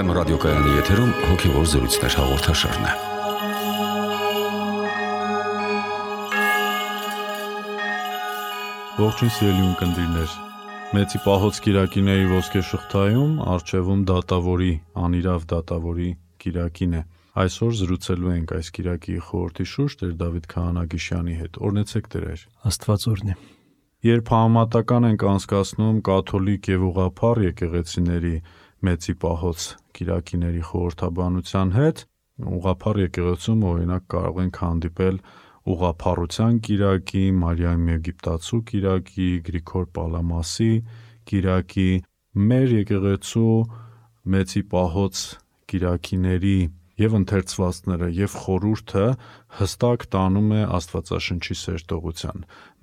FM ռադիոկայանի եթերում հոգևոր զրույցներ հաղորդաշարն է։ Ողջույն սիրելի ունկնդիրներ, Մեծի Պահոց Կիրակիների ոսկե շղթայում առջևում դատավորի, անիրավ դատավորի Կիրակին է։ Այսօր զրուցելու ենք այս Կիրակի խորհրդի շուրջ Տեր Դավիթ Քահանագիշյանի հետ։ Օրհնեցեք Տեր։ Աստված օրհնի։ Երբ համեմատական ենք անցկացնում կաթոլիկ եւ ուղղափառ եկեղեցիների Մեծի Պահոց Կիրակիների խորհրդաբանության հետ, ուղղափառ եկեղեցում օրինակ կարող ենք հանդիպել ուղղափառության Կիրակի, Մարիամ Եգիպտացու Կիրակի, Գրիգոր Պալամասի Կիրակի, մեր եկեղեցու Մեծի Պահոց Կիրակիների եւ ընթերցվածները եւ խորհուրդը հստակ տանում է Աստվածաշնչի սերտողության։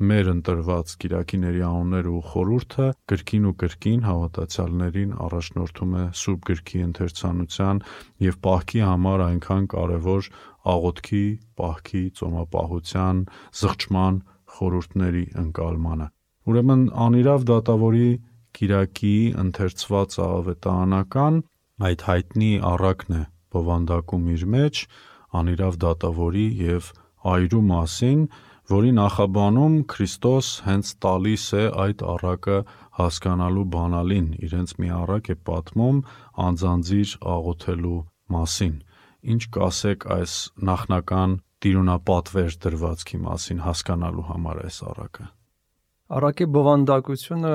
Մեր ընտրված Կիրակիների անունները ու խորհուրդը կրկին ու կրկին հավատացյալներին առաջնորդում է Սուրբ Գրքի ընթերցանության եւ պահքի համար այնքան կարեւոր աղոթքի, պահքի, ծոմապահության, զղջման խորհուրդների ընկալմանը։ Ուրեմն անիրավ դատավորի Կիրակի ընթերցված ավետարանական այդ հայտնի առակն է բովանդակում իր մեջ անիրավ դատավորի եւ այրու մասին, որի նախաբանում Քրիստոս հենց տալիս է այդ առակը հասկանալու բանալին, իրենց մի առակ է պատմում անձանձիր աղոթելու մասին։ Ինչ կասեք այս նախնական տիրունապատվեր դրվածքի մասին հասկանալու համար այս առակը։ Առակի բովանդակությունը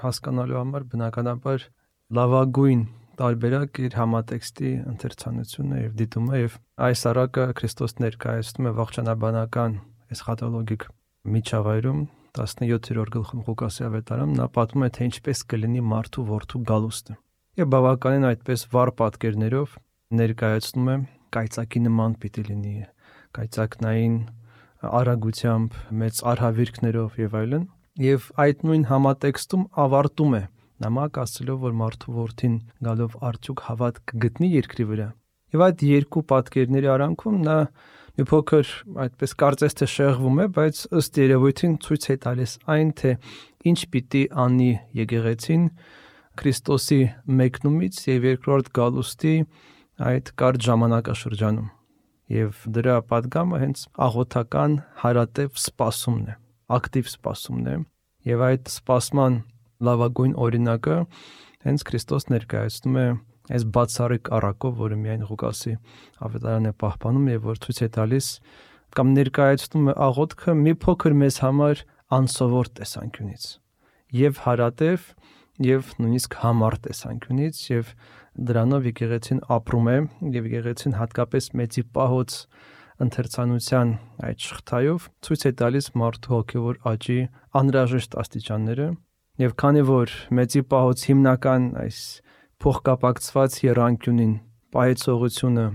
հասկանալու համար բնականաբար լավագույն տարբերակ իր համատեքստի ընթերցանությունը եւ դիտումը եւ այս առակը Քրիստոս ներկայացնում է ողջանաբանական էսխատոլոգիկ միջավայրում 17-րդ գլխում Ղուկասի ավետարանում նա պատմում է թե ինչպես կլինի մարդու որդու գալուստը եւ բավականին այդպես վառ պատկերներով ներկայացնում է կայծակի նման պիտի լինի կայծակնային արագությամբ մեծ արհավիրքներով եւ այլն եւ այդ նույն համատեքստում ավարտում է նամակ ասելով, որ մարդու որդին գալով արդյոք հավատ կգտնի երկրի վրա։ Եվ այդ երկու պատկերների արանքում նա մի փոքր այդպես կարծես թե շեղվում է, բայց ըստ երևույթին ցույց է տալիս այն, թե ինչ պիտի անի եկեղեցին Քրիստոսի մեկնումից եւ երկրորդ գալուստի այդ կարճ ժամանակաշրջանում։ Եվ դրա պատգամը հենց աղոթական հարատև սպասումն է, ակտիվ սպասումն է, եւ այդ սպասման լավագույն օրինակը հենց Քրիստոս ներկայացնում է այս բացառիկ առակով, որը միայն Ղուկասի ավետարանն է պահպանում եւ որ ցույց է տալիս կամ ներկայացնում է աղոթքը մի փոքր մեզ համար անսովոր տեսանկյունից եւ հարատև եւ նույնիսկ համառ տեսանկյունից եւ դրանով եկեղեցին ապրում է եւ եկեղեցին հատկապես Մեծի Պահոց ընթերցանության այդ շղթայով ցույց է տալիս մարդու հոգեվոր աճի անհրաժեշտ աստիճանները եւ քանի որ Մեծի Պահոց հիմնական այս փոխկապակցված եռանկյունին պայծողությունը,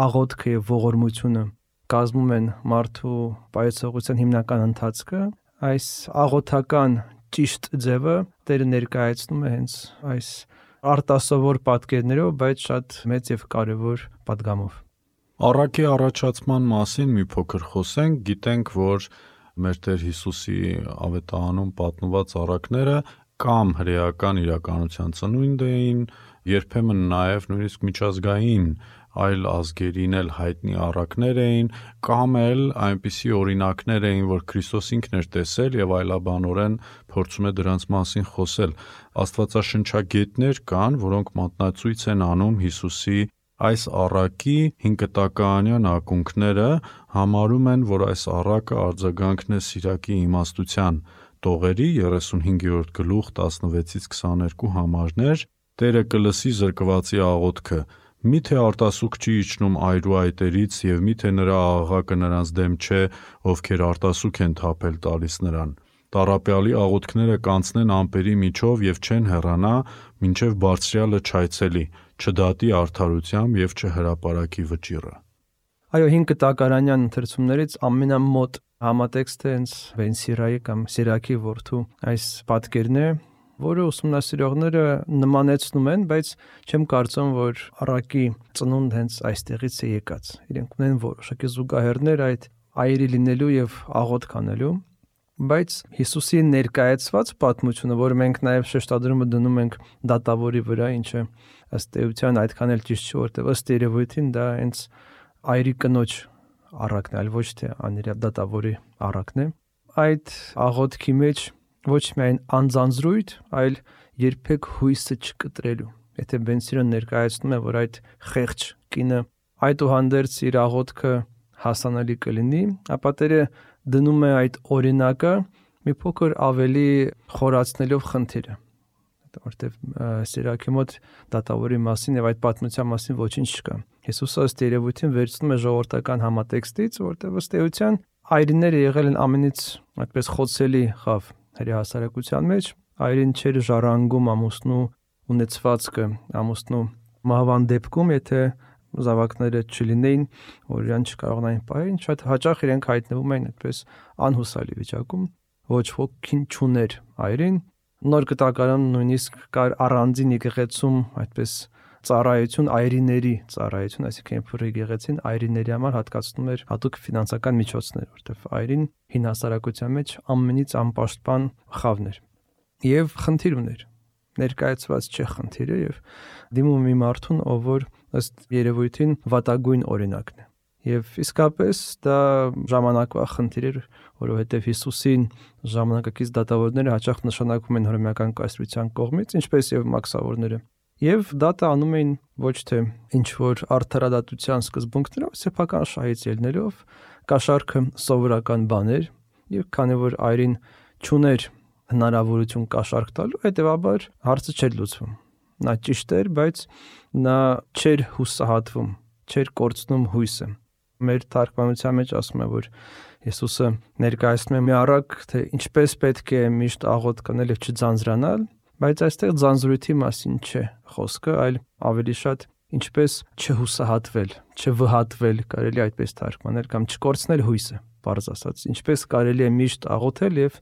աղոթքը եւ ողորմությունը կազմում են մարդու պայծողության հիմնական ընթացքը, այս աղոթական ճիշտ ձևը Տերը ներկայացնում է հենց այս արտասովոր պատկերներով, բայց շատ մեծ եւ կարեւոր պատգամով։ Առակի առաջացման մասին մի փոքր խոսենք, գիտենք, որ մեր Տեր Հիսուսի ավետարանում պատմված առակները կամ հրեական իրականության ծնունդ էին, երբեմն նաև նույնիսկ միջազգային այլ ազգերին էլ հայտնի առակներ էին, կամ էլ այնպիսի օրինակներ էին, որ Քրիստոս ինքն էր տեսել եւ այլաբանորեն փորձում է դրանց մասին խոսել։ Աստվածաշնչագետներ կան, որոնք մատնացույց են անում Հիսուսի այս առակի 5 տակաանյան ակունքները համարում են, որ այս առակը արձագանքն է Սիրակի իմաստության տողերի 35-րդ գլուխ 16-ից 22 համարներ Տերը կլսի զրկվածի աղոթքը միթե արտասուք չի իջնում այրու այտերից եւ միթե նրա աղաղակը նրանց դեմ չէ ովքեր արտասուք են թափել տալիս նրան Տառապյալի աղոթքները կանցնեն ամպերի միջով եւ չեն հեռանա մինչեւ բարձրյալը չայցելի չդատի արդարությամբ եւ չհրապարակի վճիռը։ Այո, 5 տակարանյան ընթերցումներից ամենամոտ համատեքստը հենց Վենսիրայի կամ Սիրակի որդու այս պատկերն է, որը ուսումնասիրողները նմանեցնում են, բայց չեմ կարծում, որ առակի ծնունդ հենց այստեղից է եկած։ Իրենք ունեն որոշակի զուգահեռներ այդ այրի լինելու եւ աղոթք անելու։ Բայց Հիսուսի ներկայացված պատմությունը, որը մենք նաև շեշտադրումը դնում ենք դատավորի վրա, ինչը ըստ էության այդքան էլ ճիշտ չէ, որտեղ ըստ երևույթին դա հենց այրի կնոջ առակն է, այլ ոչ թե անիրավ դատավորի առակն է։ Այդ աղոթքի մեջ ոչ միայն անձանձրույթ, այլ երբեք հույսը չկտրելու։ Եթե Բենսիրոն ներկայացնում է, որ այդ խեղճ կինը այդուհանդերձ իր աղոթքը հասանելի կլինի, ապա Տերը դնում է այդ օրինակը մի փոքր ավելի խորացնելով խնդիրը, որտեղ Սիրակի մոտ դատավորի մասին եւ այդ պատմության մասին ոչինչ չկա։ Հիսուսը ըստ երևույթին վերցնում է ժողովրդական համատեքստից, որտեղ ըստ էության այրիները եղել են ամենից այդպես խոցելի խավ հերի հասարակության մեջ, այրին չէր ժառանգում ամուսնու ունեցվածքը, ամուսնու մահվան դեպքում, եթե զավակները չլինեին, որ իրան չկարողնային պահել, շատ հաճախ իրենք հայտնվում են այդպես անհուսալի վիճակում, ոչ ոքին չուներ այրին։ Նոր Կտակարանում նույնիսկ կար առանձին եկեղեցում այդպես ծառայություն, այրիների ծառայություն, այսինքն երբ եկեղեցին այրիների համար հատկացնում էր հատուկ ֆինանսական միջոցներ, որտեղ այրին հին հասարակության մեջ ամենից անպաշտպան խավն էր եւ խնդիր ուներ, ներկայացված չէ խնդիրը եւ դիմում մի մարդուն, ով որ ըստ երևույթին վատագույն օրինակն է։ Եվ իսկապես դա ժամանակվա խնդիր էր, որովհետև Հիսուսին ժամանակակից դատավորները հաճախ նշանակվում են հռոմեական կայսրության կողմից, ինչպես եւ մաքսավորները։ Եվ դատը անում էին ոչ թե ինչ որ արդարադատության սկզբունքներով, սեփական շահից ելնելով, կաշառքը սովորական բան էր, եւ քանի որ այրին չուներ հնարավորություն կաշառք տալու, հետեւաբար հարցը չէր լուծվում։ Նա ճիշտ էր, բայց նա չէր հուսահատվում, չէր կորցնում հույսը։ Մեր թարգմանության մեջ ասում է, որ Հիսուսը ներկայացնում է մի առակ, թե ինչպես պետք է միշտ աղոթք անել եւ չձանձրանալ, բայց այստեղ ձանձրույթի մասին չէ խոսքը, այլ ավելի շատ ինչպես չհուսահատվել, չվհատվել, կարելի այդպես թարգմանել կամ չկորցնել հույսը, բարձ ասած, ինչպես կարելի է միշտ աղոթել եւ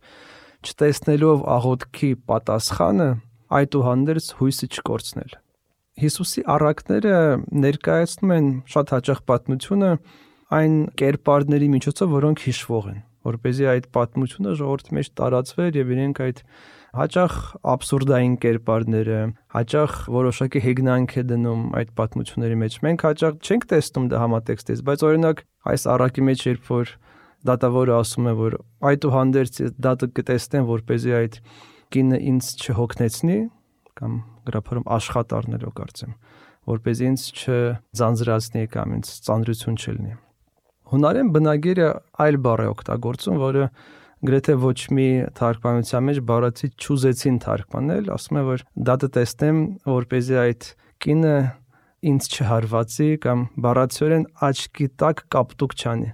չտեսնելով աղոթքի պատասխանը, այդուհանդերձ հույսը չկորցնել։ Հիսուսի առակները ներկայացնում են շատ հաճախ պատմությունը այն կերպարների միջոցով, որոնք հիշվող են, որպեսզի այդ պատմությունը ժողովրդի մեջ տարածվեր եւ իրենք այդ հաճախ աբսուրդային կերպարները, հաճախ որոշակի հեգնանք է դնում այդ պատմությունների մեջ։ Մենք հաճախ չենք տեսնում դա համատեքստից, բայց օրինակ այս առակի մեջ երբ որ դատավորը ասում է, որ այդուհանդերձ դատը կտեսնեմ, որպեսզի այդ կինը ինձ չհոգնեցնի, կամ գրափարում աշխատ առնելով կարծեմ, որպեսզի ինձ չձանձրացնի կամ ինձ ծանրություն չլինի։ Հունարեն բնագիրը այլ բառ է օգտագործում, որը գրեթե ոչ մի թարգմանության մեջ բառացի չուզեցին թարգմանել, ասում է, որ դատը տեսնեմ, որպեսզի այդ կինը ինձ չհարվածի կամ բառացիորեն աչքի տակ կապտուկ չանի։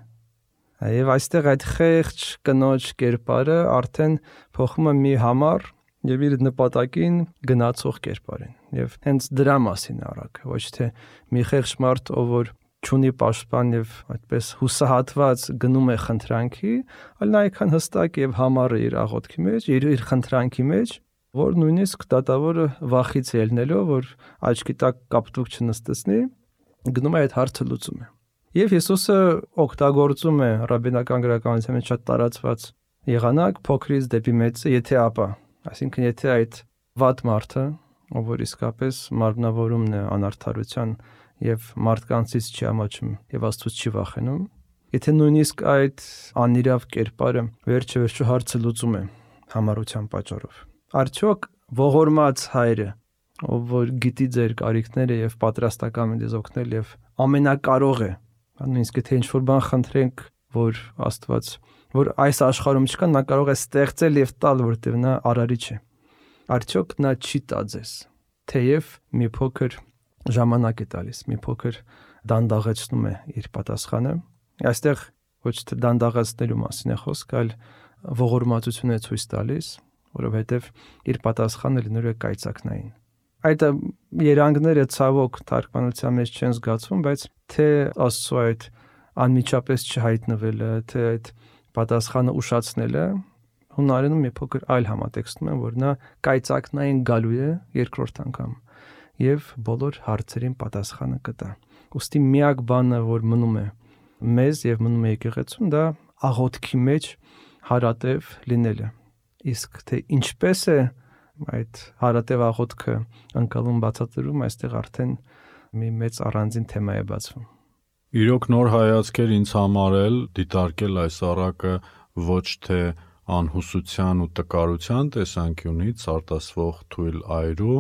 Եվ այստեղ այդ խեղճ կնոջ կերպարը արդեն փոխում է մի համառ եւ իր նպատակին գնացող կերպարին։ Եվ հենց դրա մասին առակ, ոչ թե մի խեղճ մարդ, ով որ չունի պաշտպան եւ այդպես հուսահատված գնում է խնդրանքի, այլ նա այքան հստակ եւ համառ է իր աղոթքի մեջ, իր խնդրանքի մեջ, որ նույնիսկ դատավորը վախից ելնելով, որ աչքի տակ կապտուկ չնստեցնի, գնում է այդ հարցը լուծում է։ Եվ Հիսուսը օգտագործում է ռաբինական գրականության մեջ շատ տարածված եղանակ փոքրից դեպի մեծը, եթե ապա, այսինքն եթե այդ վատ մարդը, ով որ իսկապես մարմնավորումն է անարդարության եւ մարդկանցից չի ամաչում եւ Աստծուց չի վախենում, եթե նույնիսկ այդ անիրավ կերպարը վերջը հարցը լուծում է համառության պատճառով, արդյոք ողորմած հայրը, ով որ գիտի ձեր կարիքները եւ պատրաստական է ձեզ օգնել եւ ամենակարող է, նույնիսկ եթե ինչ-որ բան խնդրենք, որ Աստված, որ այս աշխարհում չկա, նա կարող է ստեղծել եւ տալ, որտեղ նա արարիչ է։ Արդյոք նա չի տա ձեզ, թեև մի փոքր ժամանակ է տալիս, մի փոքր դանդաղեցնում է իր պատասխանը։ Այստեղ ոչ թե դանդաղացնելու մասին է խոսք, այլ ողորմածություն է ցույց տալիս, որովհետև իր պատասխանը լինելու է կայծակնային։ Այդ երանգները ցավոք թարգմանության մեջ չեն զգացվում, բայց թե Աստծո այդ անմիջապես չհայտնվելը, թե այդ պատասխանը ուշացնելը հունարենում մի փոքր այլ համատեքստում են, որ նա կայծակնային գալու է երկրորդ անգամ եւ բոլոր հարցերին պատասխանը կտա։ Ուստի միակ բանը, որ մնում է մեզ եւ մնում է եկեղեցուն, դա աղոթքի մեջ հարատև լինելը։ Իսկ թե ինչպես է այդ հարատև աղոթքը ընկալում բացատրում, այստեղ արդեն մի մեծ առանձին թեմա է բացվում։ Իրոք նոր հայացքեր ինձ համար էլ դիտարկել այս առակը ոչ թե անհուսության ու տկարության տեսանկյունից արտասվող թույլ այրու,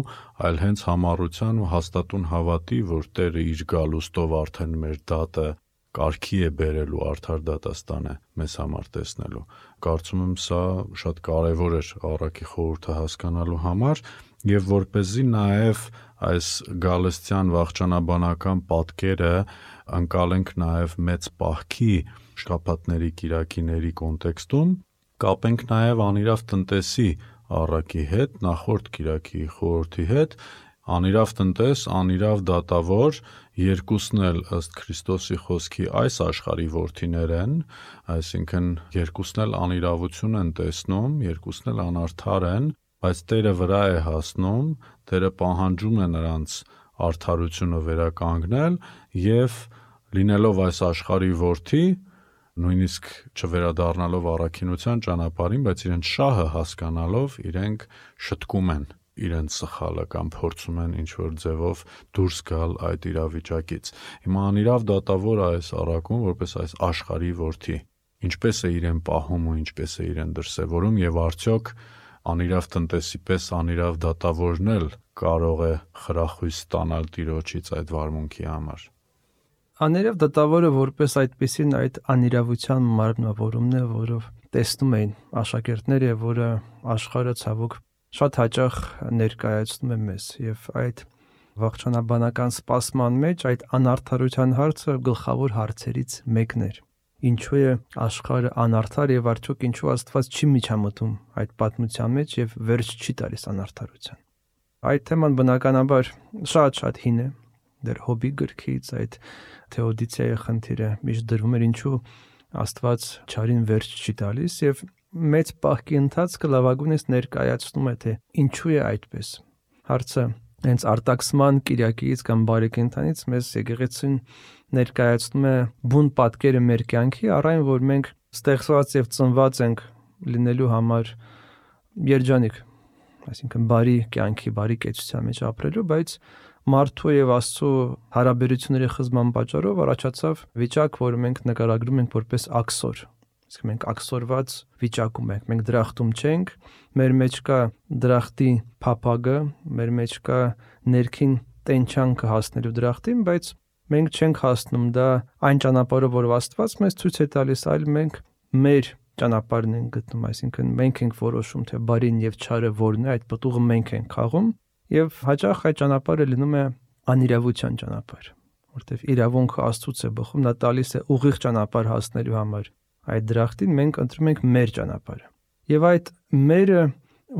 այլ հենց համառության ու հաստատուն հավատի, որ Տերը իր գալուստով արդեն մեր դատը կարգի է բերելու, արդար դատաստան է մեզ համար տեսնելու։ Կարծում եմ սա շատ կարևոր էր առակի խորհուրդը հասկանալու համար, եւ որպեսզի նաեւ այս գալստյան վախճանաբանական պատկերը ընկալենք նաեւ մեծ պահքի շաբաթների կիրակիների կոնտեքստում, կապենք նաեւ անիրավ տնտեսի առակի հետ, նախորդ կիրակի խորհրդի հետ, անիրավ տնտես, անիրավ դատավոր, երկուսն էլ ըստ Քրիստոսի խոսքի այս աշխարհի որդիներ են, այսինքն երկուսն էլ անիրավություն են տեսնում, երկուսն էլ անարդար են, բայց Տերը վրա է հասնում, Տերը պահանջում է նրանց արդարությունը վերականգնել եւ լինելով այս աշխարհի որդի, նույնիսկ չվերադառնալով առաքինության ճանապարհին, բայց իրենց շահը հասկանալով իրենք շտկում են իրենց սխալը կամ փորձում են ինչ-որ ձևով դուրս գալ այդ իրավիճակից։ Հիմա անիրավ դատավորը այս առակում որպես այս աշխարհի որդի, ինչպես է իրեն պահում ու ինչպես է իրեն դրսևորում եւ արդյոք անիրավ տնտեսի պես անիրավ դատավորն էլ կարող է խրախույս ստանալ Տիրոջից այդ վարմունքի համար։ Անիրավ դատավորը որպես այդպեսին այդ անիրավության մարմնավորումն է, որով տեսնում էին աշակերտները, որը աշխարհը ցավոք շատ հաճախ ներկայացնում է մեզ եւ այդ վախճանաբանական սպասման մեջ այդ անարդարության հարցը գլխավոր հարցերից մեկն էր։ Ինչու է աշխարհը անարդար եւ արդյոք ինչու Աստված չի միջամտում այդ պատմության մեջ եւ վերջ չի տալիս անարդարության։ Այդ թեման բնականաբար շատ հին է, դեռ Հոբի գրքից այդ թեոդիցիայի խնդիրը միշտ դրվում էր, ինչու Աստված չարին վերջ չի տալիս եւ մեծ պահքի ընթացքը լավագույնս ներկայացնում է, թե ինչու է այդպես։ Հարցը հենց արտաքսման կիրակից կամ բարեկենդանից մեզ եկեղեցին ներկայացնում է բուն պատկերը մեր կյանքի, առայն որ մենք ստեղծված եւ ծնված ենք լինելու համար երջանիկ, այսինքն բարի կյանքի, բարի կեցության մեջ ապրելու, բայց մարդու եւ Աստծո հարաբերությունների խզման պատճառով առաջացավ վիճակ, որը մենք նկարագրում ենք որպես աքսոր։ Իսկ մենք աքսորված վիճակում ենք, մենք դրախտում չենք, մեր մեջ կա դրախտի փափագը, մեր մեջ կա ներքին տենչանքը հասնելու դրախտին, բայց մենք չենք հասնում դա այն ճանապարհով, որով Աստված մեզ ցույց է տալիս, այլ մենք մեր ճանապարհն ենք գտնում, այսինքն մենք ենք որոշում, թե բարին եւ չարը որն է, այդ պտուղը մենք ենք խաղում, եւ հաճախ այդ ճանապարհը լինում է անիրավության ճանապարհ, որտեղ իրավունքը Աստծուց է բխում, նա տալիս է ուղիղ ճանապարհ հասնելու համար այդ դրախտին, մենք ընտրում ենք մեր ճանապարհը։ Եվ այդ մերը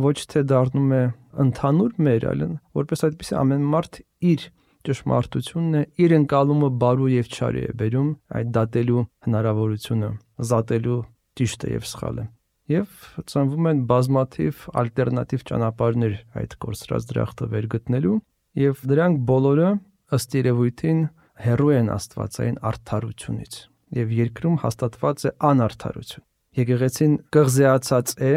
ոչ թե դառնում է ընդհանուր մեր, այլ որպես այդպեսի ամեն մարդ իր ճշմարտությունն է, իր ընկալումը բարու եւ չարի է բերում այդ դատելու հնարավորությունը, զատելու ճիշտը եւ սխալը։ Եվ ծնվում են բազմաթիվ ալտերնատիվ ճանապարհներ այդ կորսրած դրախտը վեր գտնելու, եւ դրանք բոլորը ըստ երևույթին հեռու են աստվածային արդարությունից, եւ երկրում հաստատված է անարդարություն։ Եկեղեցին կղզեացած է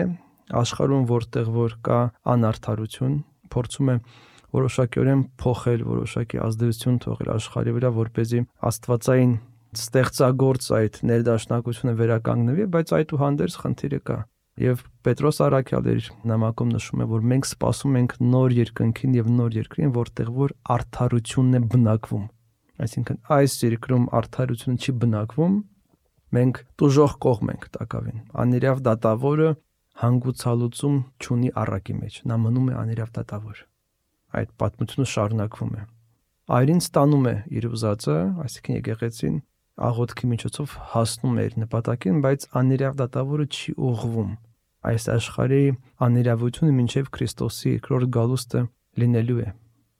աշխարհում, որտեղ որ կա անարդարություն, փորձում է որոշակիորեն փոխել, որոշակի ազդեցություն թողել աշխարհի վրա, որպեսզի աստվածային ստեղծագործ այդ ներդաշնակությունը վերականգնվի, բայց այդուհանդերձ խնդիրը կա։ Եվ Պետրոս Առաքյալը իր նամակում նշում է, որ մենք սպասում ենք նոր երկնքին եւ նոր երկրին, որտեղ որ արդարությունն է բնակվում։ Այսինքն այս երկրում արդարությունը չի բնակվում, մենք տուժող կողմ ենք տակավին։ Անիրավ դատավորը հանգուցալուծում չունի առակի մեջ, նա մնում է անիրավ դատավոր։ Այդ պատմությունը շարունակվում է։ Այրին ստանում է իր ուզածը, այսինքն եկեղեցին աղոթքի միջոցով հասնում է իր նպատակին, բայց անիրավ դատավորը չի ուղղվում։ Այս աշխարհի անիրավությունը մինչև Քրիստոսի երկրորդ գալուստը լինելու է։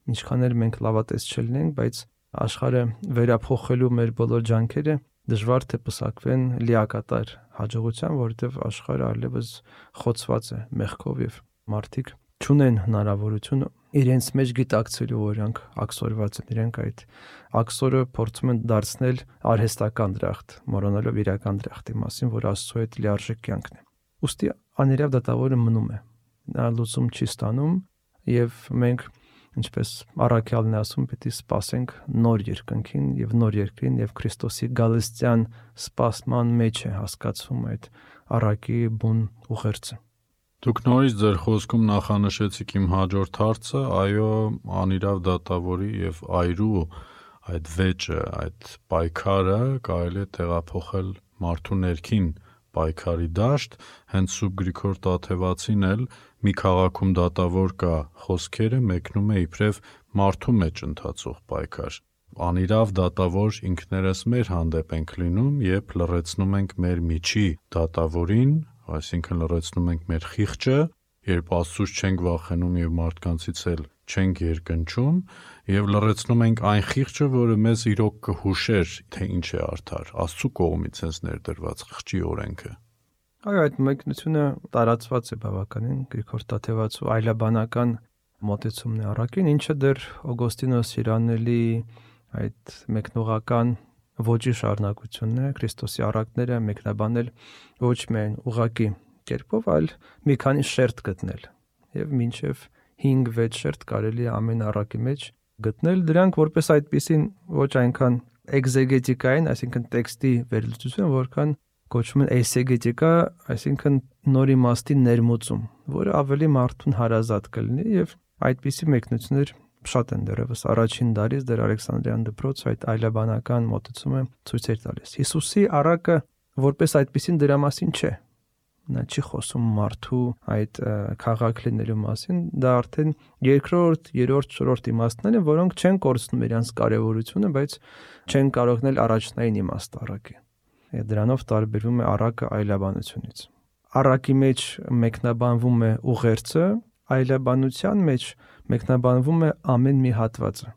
Ինչքան էլ մենք լավատես չլինենք, բայց աշխարհը վերափոխելու մեր բոլոր ջանքերը դժվար թե պսակվեն լիակատար հաջողության, որովհետև աշխարհը այլևս խոցված է մեղքով եւ մարդիկ չունեն հնարավորություն իրենց մեջ գիտակցելու, որ իրանք աքսորված են, իրենք այդ աքսորը փորձում են դարձնել արհեստական դրախտ, մոռանալով իրական դրախտի մասին, որ Աստծո հետ լիարժեք կյանքն է։ Ուստի անիրավ դատավորը մնում է։ Նա լուծում չի ստանում եւ մենք ինչպես առաքյալն է ասում, պետք է սպասենք նոր երկնքին եւ նոր երկրին եւ Քրիստոսի գալստյան սպասման մեջ է հասկացվում այդ առակի բուն ուղերձը։ Դուք նորից ձեր խոսքում նախանշեցիք իմ հաջորդ հարցը, այո, անիրավ դատավորի եւ այրու այդ վեճը, այդ պայքարը կարելի է տեղափոխել մարդու ներքին պայքարի դաշտ, հենց Սուրբ Գրիգոր Տաթևացին էլ մի քաղաքում դատավոր կա խոսքերը մեկնում է իբրև մարդու մեջ ընթացող պայքար։ Անիրավ դատավոր ինքներս մեր հանդեպ ենք լինում, երբ լռեցնում ենք մեր միջի դատավորին, այսինքն լռեցնում ենք մեր խիղճը, երբ Աստծուց չենք վախենում եւ մարդկանցից էլ չենք երկնչում, եւ լռեցնում ենք այն խիղճը, որը մեզ իրոք կհուշեր, թե ինչ է արդար, Աստծու կողմից հենց ներդրված խիղճի օրենքը։ Այո, այդ մեկնությունը տարածված է բավականին Գրիգոր Տաթևացու այլաբանական մոտեցումն է առաքին, ինչը դեռ Օգոստինոս Հիրանելի այդ մեկնողական ոճի շարունակությունն է, Քրիստոսի առակները մեկնաբանել ոչ միայն ուղղակի կերպով, այլ մի քանի շերտ գտնել եւ մինչեւ 5-6 շերտ կարելի է ամեն առակի մեջ գտնել, դրանք որպես այդպեսին ոչ այնքան էկզեգետիկային, այսինքն տեքստի վերլուծություն, որքան կոչվում են էյսեգետիկա, այսինքն նոր իմաստի ներմուծում, որը ավելի մարդուն հարազատ կլինի եւ այդպիսի մեկնություններ շատ են դեռևս առաջին դարից դեռ Ալեքսանդրիան դպրոց այդ այլաբանական մոտեցումը ցույց էր տալիս։ Հիսուսի առակը որպես այդպեսին դրա մասին չէ։ Նա չի խոսում մարդու այդ քաղաք լինելու մասին, դա արդեն երկրորդ, երրորդ, չորրորդ իմաստներ են, որոնք չեն կորցնում իրենց կարևորությունը, բայց չեն կարողնել առաջնային իմաստ առակի։ Եվ դրանով տարբերվում է առակը այլաբանությունից։ Առակի մեջ մեկնաբանվում է ուղերձը, այլաբանության մեջ մեկնաբանվում է ամեն մի հատվածը։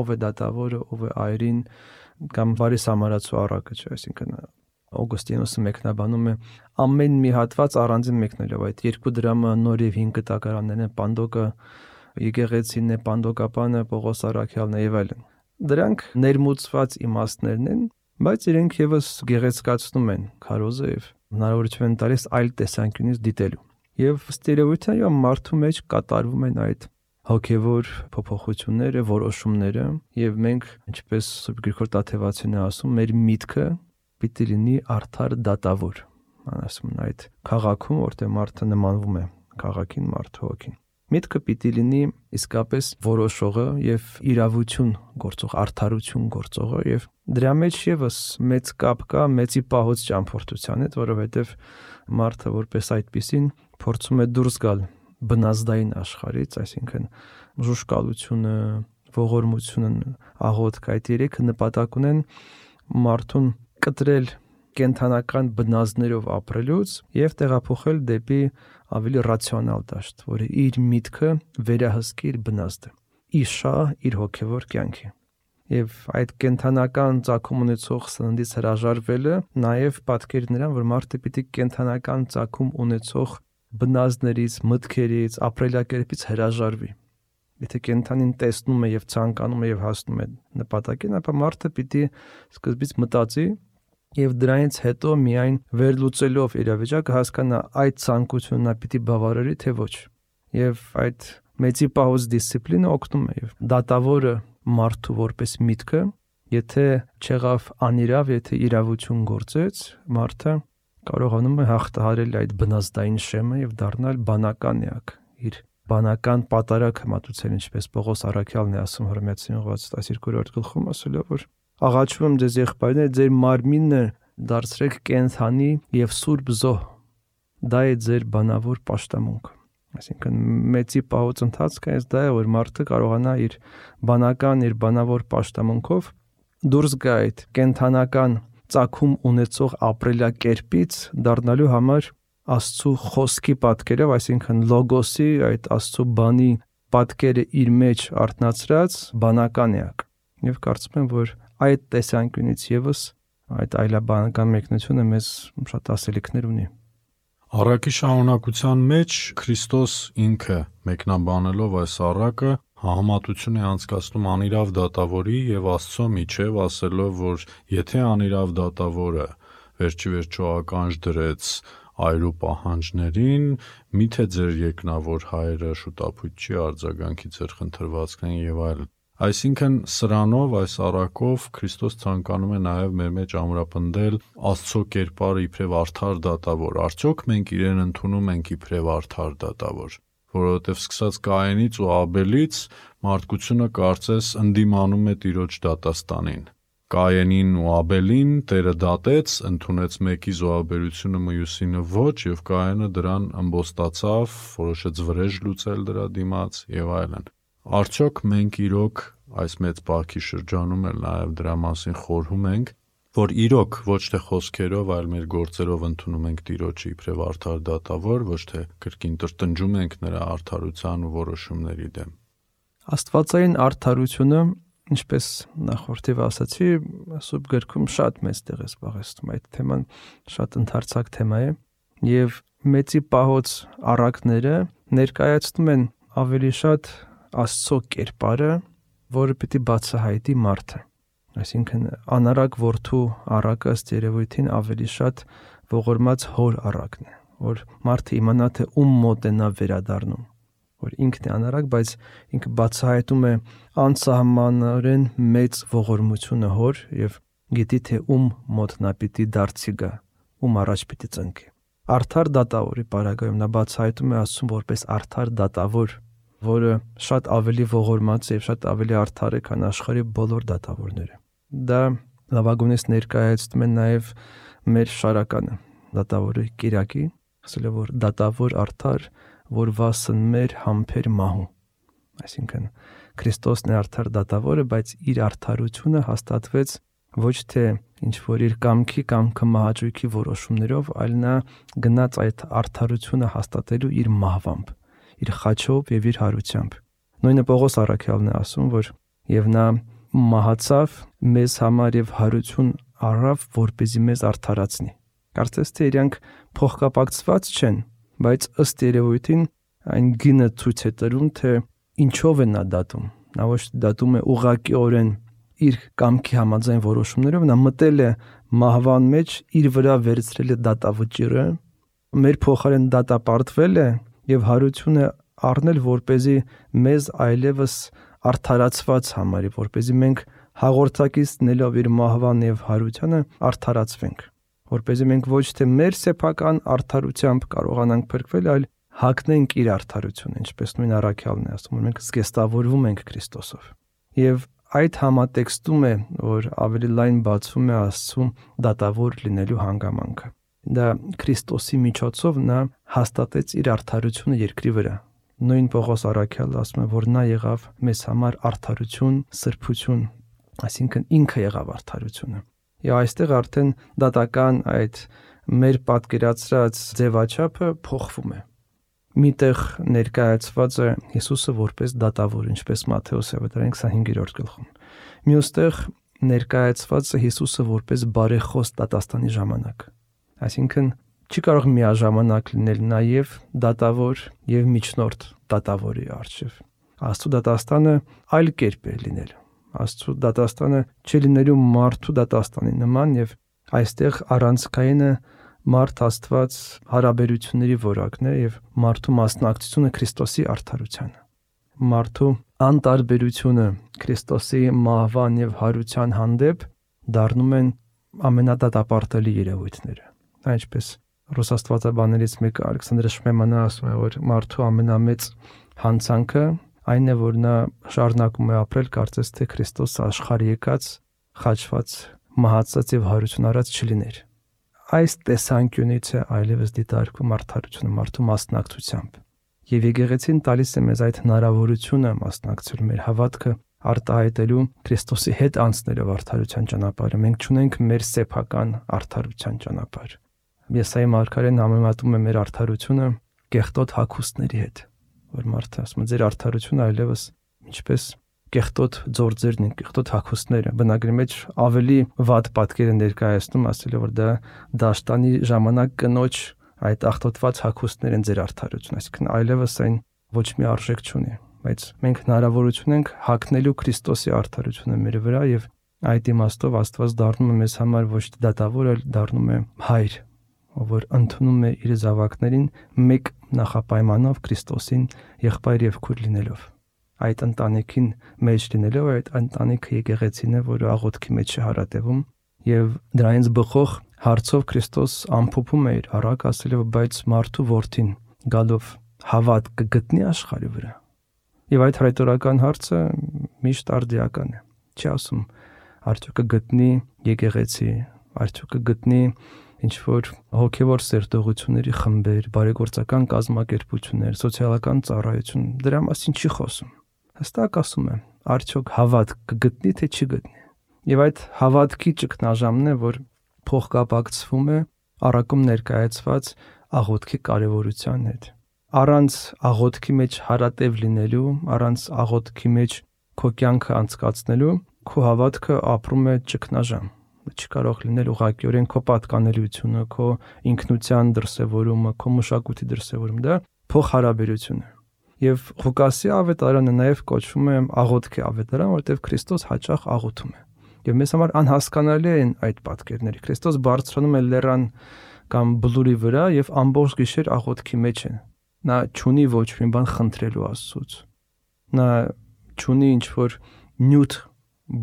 Ով է դատավորը, ով է այրին կամ բարի սամարացու առակը, չէ, այսինքն Օգոստինոսը մեկնաբանում է ամեն մի հատված առանձին մեկնելով, այդ 2 դրամը նոր եւ 5 կտակարաններն են, Պանդոկը, եկեղեցին է, Պանդոկապանը, Պողոս առաքյալն է եւ այլն։ Դրանք ներմուծված իմաստներն են, բայց իրենք եւս գեղեցկացնում են քարոզը եւ հնարավորություն են տալիս այլ տեսանկյունից դիտելու։ Եվ ստերեոտիպը մարդու մեջ կատարվում են այդ հոգևոր փոփոխությունները, որոշումները, եւ մենք, ինչպես Սուրբ Գրիգոր Տաթևացին է ասում, մեր միտքը պիտի լինի արդար դատավոր։ Ասում են այդ քաղաքում, որտեղ մարդը նմանվում է քաղաքին, մարդու հոգին։ Միտքը պիտի լինի իսկապես որոշողը եւ իրավություն գործող, արդարություն գործողը, եւ դրա մեջ եւս մեծ կապ կա մեծի պահոց ճամփորդության հետ, որովհետեւ մարդը որպես այդպիսին փորձում է դուրս գալ բնազդային աշխարհից, այսինքն ժուշկալությունը, ողորմությունը, աղոթքը, այդ երեքը նպատակ ունեն մարդուն կտրել կենթանական բնազդներով ապրելուց եւ տեղափոխել դեպի ավելի ռացիոնալ դաշտ, որը իր միտքը վերահսկի իր բնազդը, իշա իր հոգևոր կյանքի։ Եվ այդ կենթանական ծագում ունեցող սննդից հրաժարվելը նաեւ պատկեր նրան, որ մարդը պիտի կենթանական ծագում ունեցող բնազդներից, մտքերից, ապրելակերպից հրաժարվի։ Եթե կենթանին տեսնում է եւ ցանկանում է եւ հասնում է նպատակին, ապա մարդը պիտի սկզբից մտածի եւ դրանից հետո միայն վերլուծելով իրավիճակը հասկանա այդ ցանկությունը նա պիտի բավարարի թե ոչ։ Եվ այդ մեծի պահոց դիսցիպլինը օգնում է եւ դատավորը մարդու որպես միտքը, եթե չեղավ անիրավ, եթե իրավություն գործեց, մարդը կարողանում է հաղթահարել այդ բնազդային շեմը եւ դառնալ բանական էակ, իր բանական պատարագ մատուցել, ինչպես Պողոս առաքյալն է ասում Հռոմեացին 12-րդ գլխում, ասելով որ աղաչում եմ ձեզ եղբայրներ, ձեր մարմինը դարձրեք կենթանի եւ սուրբ զոհ, դա է ձեր բանավոր պաշտամունքը։ Այսինքն մեծի պահոց ընթացքը այս դա է, որ մարդը կարողանա իր բանական, իր բանավոր պաշտամունքով դուրս գա այդ կենթանական ծագում ունեցող ապրելակերպից դառնալու համար Աստծո խոսքի պատկերով, այսինքն լոգոսի, այդ Աստծո բանի պատկերը իր մեջ արտնացրած բանական էակ։ Եվ կարծում եմ, որ այդ տեսանկյունից եւս այդ այլաբանական մեկնությունը մեզ շատ ասելիքներ ունի։ Առակի շարունակության մեջ Քրիստոս ինքը մեկնաբանելով այս առակը համատություն է անցկացնում անիրավ դատավորի եւ Աստծո միջև, ասելով, որ եթե անիրավ դատավորը վերջի վերջո ականջ դրեց հայրու պահանջներին, միթե ձեր երկնավոր հայրը շուտապույտ չի արձագանքի ձեր խնդրվածքներին եւ այլն։ Այսինքն սրանով, այս առակով Քրիստոս ցանկանում է նաև մեր մեջ ամրապնդել Աստծո կերպարը իբրև արդար դատավոր։ Արդյոք մենք իրեն ընդունում ենք իբրև արդար դատավոր, որովհետև սկսած Կայենից ու Աբելից մարդկությունը կարծես ընդդիմանում է Տիրոջ դատաստանին։ Կայենին ու Աբելին Տերը դատեց, ընդունեց մեկի զոհաբերությունը մյուսինը ոչ, եւ Կայենը դրան ըմբոստացավ, որոշեց վրեժ լուծել դրա դիմաց եւ այլն։ Արդյոք մենք իրոք այս մեծ բախի շրջանում էլ նաև դրա մասին խորհում ենք, որ իրոք ոչ թե խոսքերով, այլ մեր գործերով ընդունում ենք Տիրոջը իբրև արդար դատավոր, ոչ թե կրկին տրտնջում ենք նրա արդարության ու որոշումների դեմ։ Աստվածային արդարությունը, ինչպես նախորդիվ ասացի, Սուրբ գրքում շատ մեծ տեղ է զբաղեցնում։ Այդ թեման շատ ընդարձակ թեմա է, եւ մեծի պահոց առակները ներկայացնում են ավելի շատ Աստծո կերպարը, որը պիտի բացահայտի մարդը։ Այսինքն անարակ որդու առակը ըստ երևույթին ավելի շատ ողորմած հոր առակն է, որ մարդը իմանա թե ում մոտ է նա վերադառնում, որ ինքն է անարակ, բայց ինքը բացահայտում է անսահմանորեն մեծ ողորմությունը հոր եւ գիտի թե ում մոտ նա պիտի դարձի գա, ում առաջ պիտի ծնկի։ Արդար դատավորի պարագայում նա բացահայտում է Աստծուն որպես արդար դատավոր, որը շատ ավելի ողորմած է եւ շատ ավելի արդար է, քան աշխարհի բոլոր դատավորները։ Դա լավագույնս ներկայացնում է նաեւ մեր շարականը, դատավորի Կիրակի, ասել է որ դատավոր արդար, որ վասն մեր համբեր մահու։ Այսինքն Քրիստոսն է արդար դատավորը, բայց իր արդարությունը հաստատվեց ոչ թե ինչ որ իր կամքի կամ կմահաճույքի որոշումներով, այլ նա գնաց այդ արդարությունը հաստատելու իր մահվամբ, իր խաչով եւ իր հարությամբ։ Նույնը Պողոս առաքյալն է ասում, որ եւ նա մահացավ մեզ համար եւ հարություն առավ, որպեսզի մեզ արդարացնի։ Կարծես թե իրանք փոխկապակցված չեն, բայց ըստ երևույթին այն գինը ցույց է տալու, թե ինչով է նա դատում։ Նա ոչ դատում է ուղղակիորեն իր կամքի համաձայն որոշումներով, նա մտել է մահվան մեջ, իր վրա վերցրել է դատավճիռը, մեր փոխարեն դատապարտվել է եւ հարություն է առնել, որպեսզի մեզ այլևս արդարացված համարի, որպեսզի մենք հաղորդակից նելով իր մահվան եւ հարությանը արդարացվենք, որպեսզի մենք ոչ թե մեր սեփական արդարությամբ կարողանանք փրկվել, այլ հագնենք իր արդարությունը, ինչպես նույն առաքյալն է ասում, որ մենք զգեստավորվում ենք Քրիստոսով։ Եվ այդ համատեքստում է, որ ավելի լայն բացվում է Աստծու դատավոր լինելու հանգամանքը։ Դա Քրիստոսի միջոցով նա հաստատեց իր արդարությունը երկրի վրա։ Նույն Պողոս առաքյալը ասում է, որ նա եղավ մեզ համար արդարություն, սրբություն, այսինքն ինքը եղավ արդարությունը։ Եվ այստեղ արդեն դատական այդ մեր պատկերացրած ձևաչափը փոխվում է։ Միտեղ ներկայացված է Հիսուսը որպես դատավոր, ինչպես Մատթեոս ավետարանի 25-րդ գլխում։ Մյուստեղ ներկայացված է Հիսուսը որպես բարեխոս դատաստանի ժամանակ։ Այսինքն չի կարող միաժամանակ լինել նաև դատավոր եւ միջնորդ դատավորի առջև։ Աստծո դատաստանը այլ կերպ է լինել։ Աստծո դատաստանը չի լինելու մարդու դատաստանի նման եւ այստեղ առանցքայինը մարդ Աստված հարաբերությունների որակն է եւ մարդու մասնակցությունը Քրիստոսի արդարությանը։ Մարդու անտարբերությունը Քրիստոսի մահվան եւ հարության հանդեպ դառնում են ամենադատապարտելի երևույթները։ Այնպես Ռուսաստվածաբաներից մեկը Ալեքսանդր Շմեմանը ասում է, որ մարդու ամենամեծ հանցանքը այն է, որ նա շարունակում է ապրել կարծես թե Քրիստոս աշխարհ եկած, խաչված, մահացած եւ հարություն առած չլիներ։ Այս տեսանկյունից է այլևս դիտարկվում արդարությունը մարդու մասնակցությամբ։ Եվ եկեղեցին տալիս է մեզ այդ հնարավորությունը մասնակցել մեր հավատքը արտահայտելու Քրիստոսի հետ անցնելով արդարության ճանապարհը։ Մենք չունենք մեր սեփական արդարության ճանապարհ։ Եսայի մարգարեն համեմատում է մեր արդարությունը կեղտոտ հագուստների հետ, որ մարդը ասում է ձեր արդարությունը այլևս ինչպես կեղտոտ ձորձերն են, կեղտոտ հագուստները։ Բնագրի մեջ ավելի վատ պատկեր է ներկայացնում, ասել է որ դա դաշտանի ժամանակ կնոջ այդ աղտոտված հագուստներ են ձեր արդարությունը, այսինքն այլևս այն ոչ մի արժեք չունի, բայց մենք հնարավորություն ենք հագնելու Քրիստոսի արդարությունը մեր վրա եւ այդ իմաստով Աստված դառնում է մեզ համար ոչ թե դատավոր, այլ դառնում է հայր, ով որ ընդունում է իր զավակներին մեկ նախապայմանով Քրիստոսին եղբայր եւ քույր լինելով։ Այդ ընտանիքին մեջ լինելով այդ ընտանիքը եկեղեցին է, որը աղոթքի մեջ է հարատևում եւ դրանից բխող հարցով Քրիստոս ամփոփում է իր առակ ասելով, բայց մարդու որդին գալով հավատ կգտնի աշխարհի վրա։ Եվ այդ հռետորական հարցը միշտ արդիական է։ Չի ասում արդյոք կգտնի եկեղեցի, արդյոք կգտնի ինչ որ հոգևոր սերտողությունների խմբեր, բարեգործական կազմակերպություններ, սոցիալական ծառայություն, դրա մասին չի խոսում։ Հստակ ասում է, արդյոք հավատ կգտնի թե չի գտնի։ Եվ այդ հավատքի ճգնաժամն է, որ փոխկապակցվում է առակում ներկայացված աղոթքի կարևորության հետ։ Առանց աղոթքի մեջ հարատև լինելու, առանց աղոթքի մեջ քո կյանքը անցկացնելու, քո հավատքը ապրում է ճգնաժամ։ Չի կարող լինել ուղղակիորեն քո պատկանելիությունը, քո ինքնության դրսևորումը, քո մշակույթի դրսևորումը, դա փոխհարաբերություն է։ Եվ Ղուկասի ավետարանը նաև կոչվում է աղոթքի ավետարան, որտեղ Քրիստոս հաճախ աղոթում է։ Եվ մեզ համար անհասկանալի են այդ պատկերները։ Քրիստոս բարձրանում է լեռան կամ բլուրի վրա եւ ամբողջ գիշեր աղոթքի մեջ է։ Նա չունի ոչ մի բան խնդրելու Աստծուց։ Նա չունի ինչ որ նյութ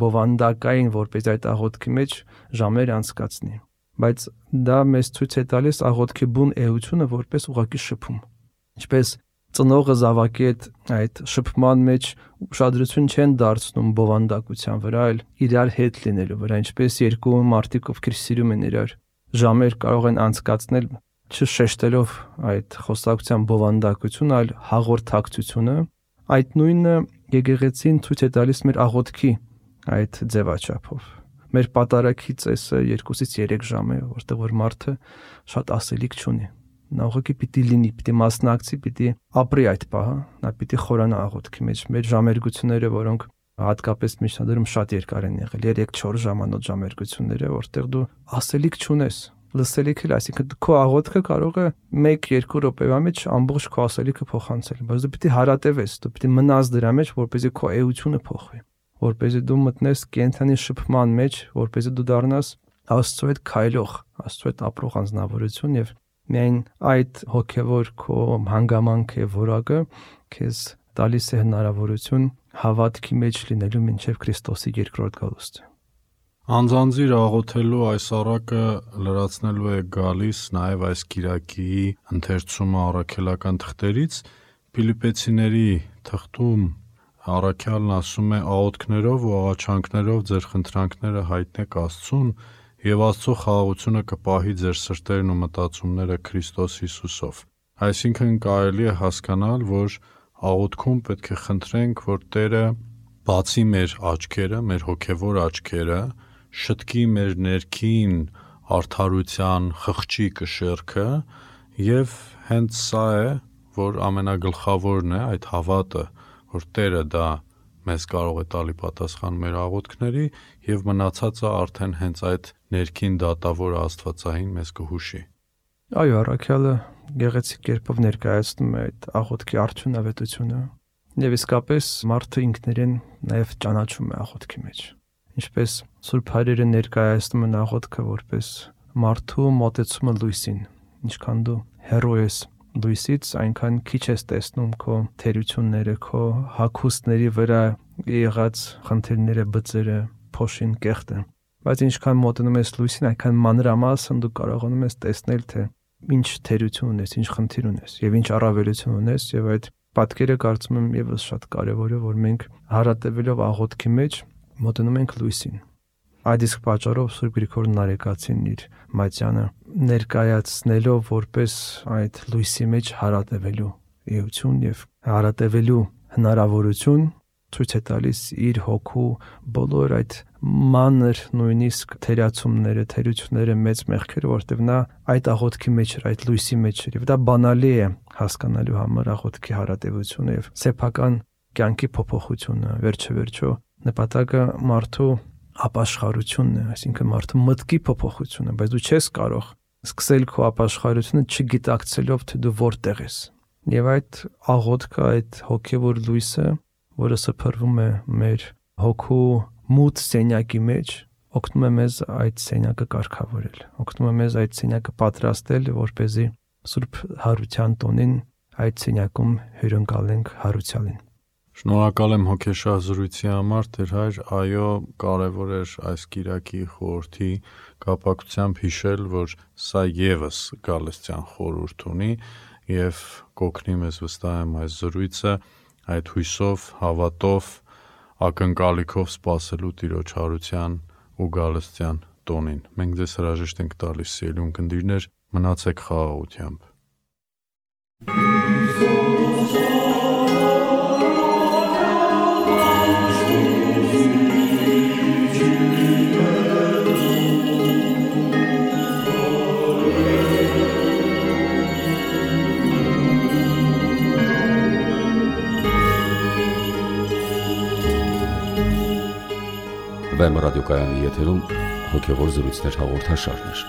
բովանդակային, որպես այդ աղոթքի մեջ ժամեր անցկացնի, բայց դա մեզ ցույց է տալիս աղոթքի բուն էությունը որպես ուղակի շփում։ Ինչպես ծնողը զավակի այդ շփման մեջ ուշադրություն չեն դարձնում բովանդակության վրա, այլ իրար հետ լինելու վրա, ինչպես երկու մարդիկ, ովքեր սիրում են իրար, ժամեր կարող են անցկացնել չշեշտելով այդ խոսակցության բովանդակությունը, այլ հաղորդակցությունը, այդ նույնը եկեղեցին ցույց է տալիս մեր աղոթքի այդ ձևաչափով։ Մեր պատարագի ծեսը 2-ից 3 ժամ է, որտեղ որ մարդը շատ ասելիք չունի։ Նա ուղղակի պիտի լինի, պիտի մասնակցի, պիտի ապրի այդ պահը, նա պիտի խորանա աղոթքի մեջ։ Մեր ժամերգությունները, որոնք հատկապես միջնադարում շատ երկար են եղել, 3-4 ժամանոց ժամերգությունները, որտեղ դու ասելիք չունես, լսելիք էլ, այսինքն քո աղոթքը կարող է 1-2 րոպեվա մեջ ամբողջ քո ասելիքը փոխանցել, բայց դու պիտի հարատևես, դու պիտի մնաս դրա մեջ, որպեսզի քո էությունը փոխվի, որպեսզի դու մտնես կենթանի շփման մեջ, որպեսզի դու դառնաս Աստծո հետ քայլող, Աստծո հետ ապրող անձնավորություն եւ միայն այդ հոգեվոր քո հանգամանքը եւ որակը քեզ տալիս է հնարավորություն հավատքի մեջ լինելու մինչեւ Քրիստոսի երկրորդ գալուստը։ Անձանձիր աղոթելու այս առակը լրացնելու է գալիս նաև այս կիրակի ընթերցումը առաքելական թղթերից Փիլիպպեցիների թղթում առաքյալն ասում է աղոթքներով ու աղաչանքներով ձեր խնդրանքները հայտնեք Աստծուն եւ Աստծո խաղաղությունը կպահի ձեր սրտերն ու մտածումները Քրիստոս Հիսուսով։ Այսինքն կարելի է հասկանալ, որ աղոթքում պետք է խնդրենք, որ Տերը բացի մեր աչքերը, մեր հոգևոր աչքերը, շտկի մեր ներքին արդարության խղճի կշեռքը եւ հենց սա է, որ ամենագլխավորն է, այդ հավատը, որ Տերը դա մեզ կարող է տալի պատասխան մեր աղոթքների եւ մնացածը արդեն հենց այդ ներքին դատավոր Աստվածային մեզ կհուշի։ Այո, առաքյալը գեղեցիկ կերպով ներկայացնում է այդ աղոթքի արդյունավետությունը եւ իսկապես մարդը ինքներեն նաեւ ճանաչում է աղոթքի մեջ։ Ինչպես Սուրբ Հայրերը ներկայացնում են աղոթքը որպես մարդու մոտեցումը լույսին, ինչքան դու հեռու ես լույսից, այնքան քիչ ես տեսնում քո թերությունները, քո հագուստների վրա եղած խնդիրները, բծերը, փոշին, կեղտը։ Բայց ինչքան մոտենում ես լույսին, այնքան մանրամասն դու կարողանում ես տեսնել, թե ինչ թերություն ունես, ինչ խնդիր ունես եւ ինչ առավելություն ունես, եւ այդ պատկերը կարծում եմ եւս շատ կարեւոր է, որ մենք հարատևելով աղոթքի մեջ մոտենում ենք լույսին։ Այդ իսկ պատճառով Սուրբ Գրիգոր Նարեկացին իր մատյանը ներկայացնելով որպես այդ լույսի մեջ հարատևելու էություն եւ հարատևելու հնարավորություն ցույց է տալիս իր հոգու բոլոր այդ մանր նույնիսկ թերացումները, թերությունները, մեծ մեղքերը, որտեղ նա այդ աղոթքի մեջ էր, այդ լույսի մեջ էր, եւ դա բանալի է հասկանալու համար աղոթքի հարատևությունը եւ սեփական կյանքի փոփոխությունը, վերջը նպատակը մարդու ապաշխարությունն է, այսինքն մարդու մտքի փոփոխությունը, բայց դու չես կարող սկսել քո ապաշխարությունը չգիտակցելով թե դու որտեղ ես։ Եվ այդ աղոթքը, այդ հոգևոր լույսը, որը սփռվում է մեր հոգու մութ սենյակի մեջ, օգնում է մեզ այդ սենյակը կարգավորել, օգնում է մեզ այդ սենյակը պատրաստել, որպեսզի Սուրբ Հարության տոնին այդ սենյակում հյուրընկալենք հարուցյալին։ Շնորհակալ եմ հոգեշահ զրույցի համար, Տեր Հայր, այո, կարևոր էր այս կիրակի խորհրդի կապակցությամբ հիշել, որ սա ևս գալստյան խորհուրդ ունի եւ կօգնի մեզ վստահ եմ այս զրույցը այդ հույսով, հավատով, ակնկալիքով սպասելու Տիրոջ հարության ու գալստյան տոնին։ Մենք ձեզ հրաժեշտ ենք տալիս, սիրելի ունկնդիրներ, մնացեք խաղաղությամբ։ Վեմ ռադիոկայանի եթերում հոգևոր զրույցներ հաղորդաշարներ։